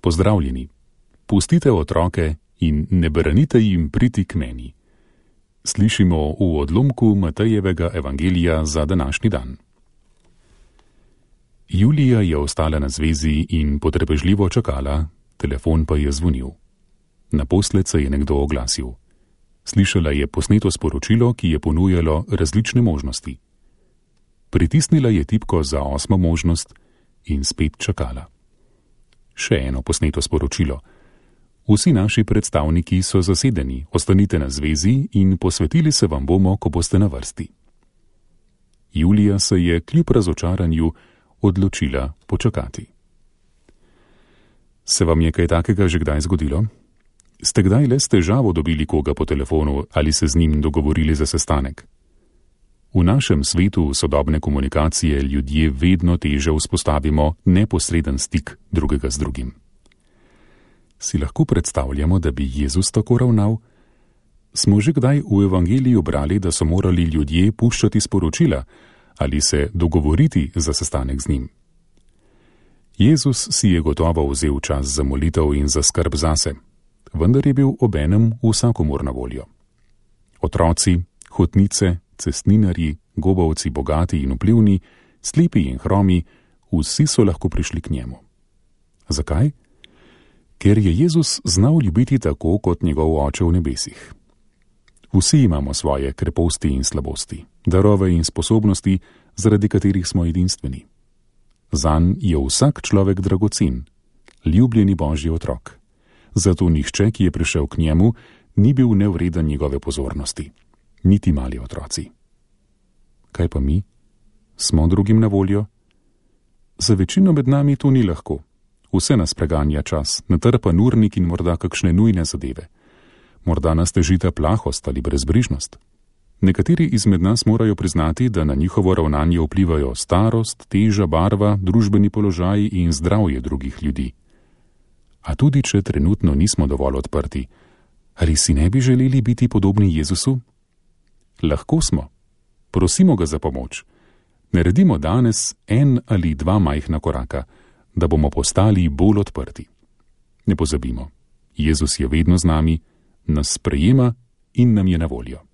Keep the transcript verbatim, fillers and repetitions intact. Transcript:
Pozdravljeni. Pustite otroke in ne branite jim priti k meni. Slišimo v odlomku Matejevega evangelija za današnji dan. Julija je ostala na zvezi in potrpežljivo čakala, telefon pa je zvonil. Naposled se je nekdo oglasil. Slišala je posneto sporočilo, ki je ponujalo različne možnosti. Pritisnila je tipko za osmo možnost in spet čakala. Še eno posneto sporočilo. Vsi naši predstavniki so zasedeni, ostanite na zvezi in posvetili se vam bomo, ko boste na vrsti. Julija se je kljub razočaranju odločila počakati. Se vam je kaj takega že kdaj zgodilo? Ste kdaj le s težavo dobili koga po telefonu ali se z njim dogovorili za sestanek? V našem svetu sodobne komunikacije ljudje vedno teže vzpostavimo neposreden stik drugega z drugim. Si lahko predstavljamo, da bi Jezus tako ravnal? Smo že kdaj v evangeliju brali, da so morali ljudje puščati sporočila ali se dogovoriti za sestanek z njim? Jezus si je gotovo vzel čas za molitev in za skrb zase, vendar je bil obenem vsakomur na voljo. Otroci, hotnice, cestninarji, gobavci, bogati in vplivni, slepi in hromi, vsi so lahko prišli k njemu. Zakaj? Ker je Jezus znal ljubiti tako kot njegov oče v nebesih. Vsi imamo svoje kreposti in slabosti, darove in sposobnosti, zaradi katerih smo edinstveni. Zanj je vsak človek dragocen, ljubljeni Božji otrok. Zato nihče, ki je prišel k njemu, ni bil nevreden njegove pozornosti, niti mali otroci. Kaj pa mi? Smo drugim na voljo? Za večino med nami to ni lahko. Vse nas preganja čas, natrpan urnik in morda kakšne nujne zadeve. Morda nas težita plahost ali brezbrižnost. Nekateri izmed nas morajo priznati, da na njihovo ravnanje vplivajo starost, teža, barva, družbeni položaj in zdravje drugih ljudi. A tudi, če trenutno nismo dovolj odprti, ali si ne bi želeli biti podobni Jezusu? Lahko smo. Prosimo ga za pomoč. Naredimo danes en ali dva majhna koraka, da bomo postali bolj odprti. Ne pozabimo, Jezus je vedno z nami, nas sprejema in nam je na voljo.